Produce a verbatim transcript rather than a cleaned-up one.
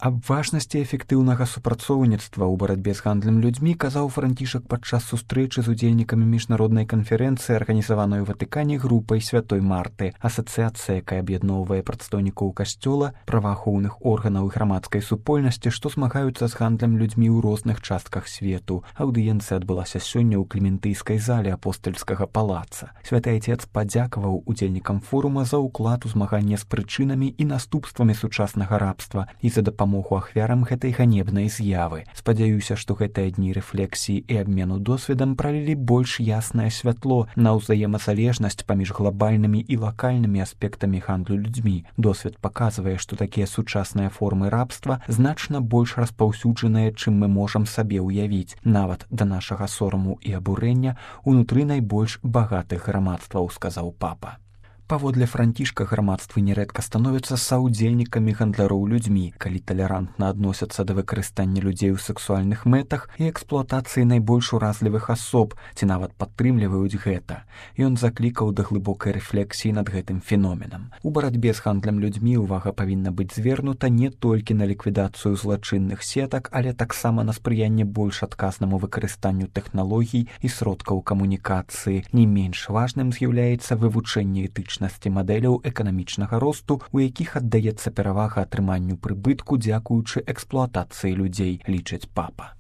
Аб важнасці эфектыўнага супрацоўніцтва ў барацьбе з гандлем людзьмі казаў Францішак падчас сустрэчы з удзельнікамі міжнароднай канферэнцыі, арганізаванай у Ватыкане групай Святой Марты. Асацыяцыя, якая аб'ядноўвае прадстаўнікоў касцёла, праваахоўных органаў і грамадскай супольнасці, што змагаюцца з гандлем людзьмі ў розных частках свету. Аўдыенцыя адбылася сёння ў Клементыйскай зале апостальскага палаца. Святы Айцец падзякаваў удзельнікам форума за ўклад у змаганне з прычынамі і наступствамі сучаснага рабства і за дапамогу моху ахвярам гэтай ганебнай з'явы. Спадзяюся, што гэтыя дні рэфлексіі і абмену досведам пралілі больш яснае святло на ўзаемазалежнасць паміж глобальнымі і лакальнымі аспектамі гандлю людзьмі. Досвед паказвае, што такія сучасныя формы рабства значна больш распаўсюджаныя, чым мы можам сабе ўявіць. Нават да нашага сораму і абурэння унутры найбольш багатых грамадстваў, сказаў папа. Паводле Францішка, грамадствы нярэдка становяцца саўдзельнікамі гандляроў людзьмі, калі талерантна адносяцца да выкарыстання людзей у сексуальных мэтах і эксплуатацыі найбольш уразлівых асоб, ці нават падтрымліваюць гэта. Ён заклікаў да глыбокай рэфлексіі над гэтым феноменам. У барацьбе з гандлем людзьмі ўвага павінна быць звернута не толькі на ліквідацыю злачынных сетак, але таксама на спрыянне больш адказнаму выкарыстанню тэхналогій і сродкаў камунікацыі. Не менш важным з'яўляецца вывучэнне этычных мадэляў эканамічнага росту, у якіх аддаецца перавага атрыманню прыбытку дзякуючы эксплуатацыі людзей, лічыць папа.